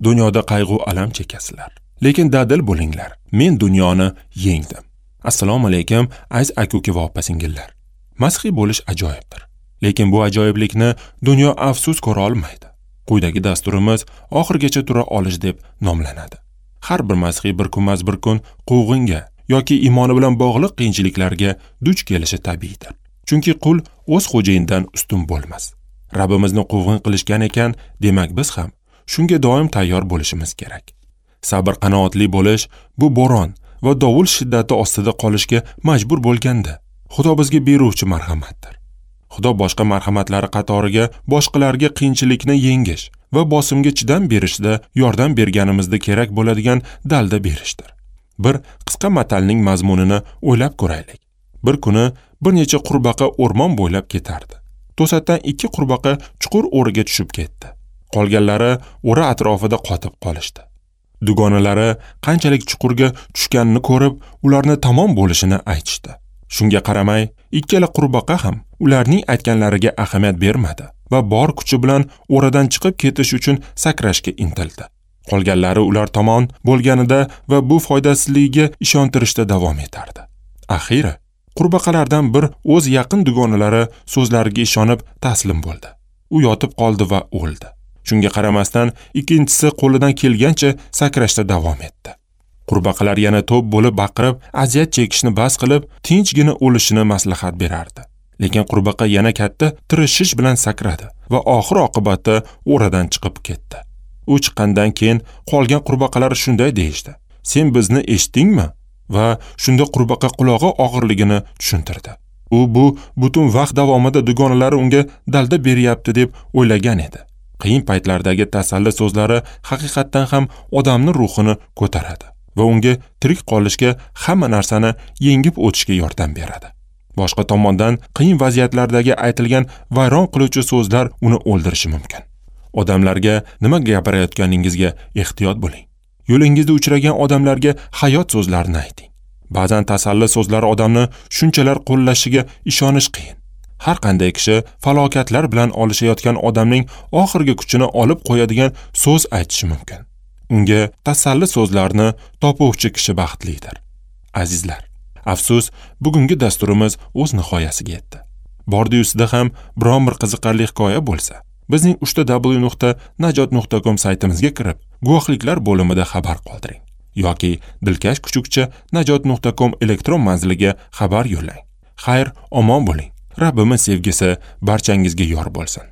Dunyoda qayg'u alam chekasizlar, lekin dadil bo'linglar. Men dunyoni yengdim. Assalomu alaykum, aziz aka-uka va opa-singillar. Masihiy bo'lish ajoyibdir. Lekin bu ajoyiblikni dunyo afsus ko'ra olmaydi. Quyidagi dasturimiz oxirigacha tura olish deb nomlanadi. Har bir masihiy bir kunmas bir kun quvg'inga yoki iymoni bilan bog'liq qiyinchiliklarga duch kelishi tabiiydir. Chunki qul o'z xo'jayinidan ustun bo'lmas. Rabbimizni quvg'in qilishgan ekan, demak biz ham shunga doim tayyor bo'lishimiz kerak. Sabr qanoatli bo'lish bu bo'ron va dovul shiddati ostida qolishga majbur bo'lganda Xudo bizga beruvchi marhamatdir. Xudo boshqa marhamatlari qatoriga boshqalarga qiyinchilikni yengish va bosimga chidam berishda yordam berganimizda kerak bo'ladigan dalda berishdir. Bir qisqa matalning mazmunini o'ylab ko'raylik. Bir kuni bir necha qurbaqa o'rmon bo'ylab ketardi. To'satdan 2 qurbaqa chuqur o'riga tushib ketdi. Qolganlari o'ra atrofida qotib qolishdi. Dugonalari qanchalik chuqurga tushganini ko'rib, ularni tamom bo'lishini aytishdi. Shunga qaramay, ikkala qurbaqa ham ularning aytganlariga ahamiyat bermadi va bor kuchi bilan o'radan chiqib ketish uchun sakrashga intildi. Qolganlari ular tomon bo'lganida va bu foydasizligiga ishontirishda davom etardi. Axiri qurbaqalardan bir o'z yaqin dugonalari so'zlariga ishonib taslim bo'ldi. U yotib qoldi va o'ldi. Shunga qaramasdan ikkinchisi qo'lidan kelgancha sakrashda davom etdi. Qurbaqalar yana to'p bo'lib baqirib, aziyat chekishni bas qilib, tinchgina o'lishini maslahat berardi. Lekin qurbaqa yana katta tirishish bilan sakradi va oxir oqibatda o'radan chiqib ketdi. U chiqqandan keyin qolgan qurbaqalar shunday deyishdi: "Sen bizni eshitdingmi?" Va shunda qurbaqa qulog'i og'irligini tushuntirdi. U bu butun vaqt davomida dugonalari unga dalda beryapti deb o'ylagan edi. Qiyin paytlardagi tasalli so'zlari haqiqatdan ham odamning ruhini ko'taradi va unga tirik qolishga, hamma narsani yengib o'tishga yordam beradi. Boshqa tomondan, qiyin vaziyatlardagi aytilgan vayron qiluvchi so'zlar uni o'ldirishi mumkin. Odamlarga nima gapirayotganingizga ehtiyot bo'ling. Yo'lingizda uchragan odamlarga hayot so'zlarini ayting. Ba'zan tasalli so'zlari odamni shunchalar qo'llashiga ishonish qiyin. Har qanday kishi falokatlar bilan olishayotgan odamning oxirgi kuchini olib qo'yadigan so'z aytishi mumkin. Unga tasalli so'zlarni topuvchi kishi baxtlidir. Azizlar, afsus, bugungi dasturimiz o'z nihoyasiga yetdi. Bordi-yusida ham biron bir qiziqarli hikoya bo'lsa, bizning www.najot.com saytimizga kirib, guvohliklar bo'limida xabar qoldiring yoki dilkash kuchukcha najot.com elektron manziliga xabar yo'llang. Xayr, omon bo'ling. Rabbimiz sevgisi barchangizga yor bo'lsin.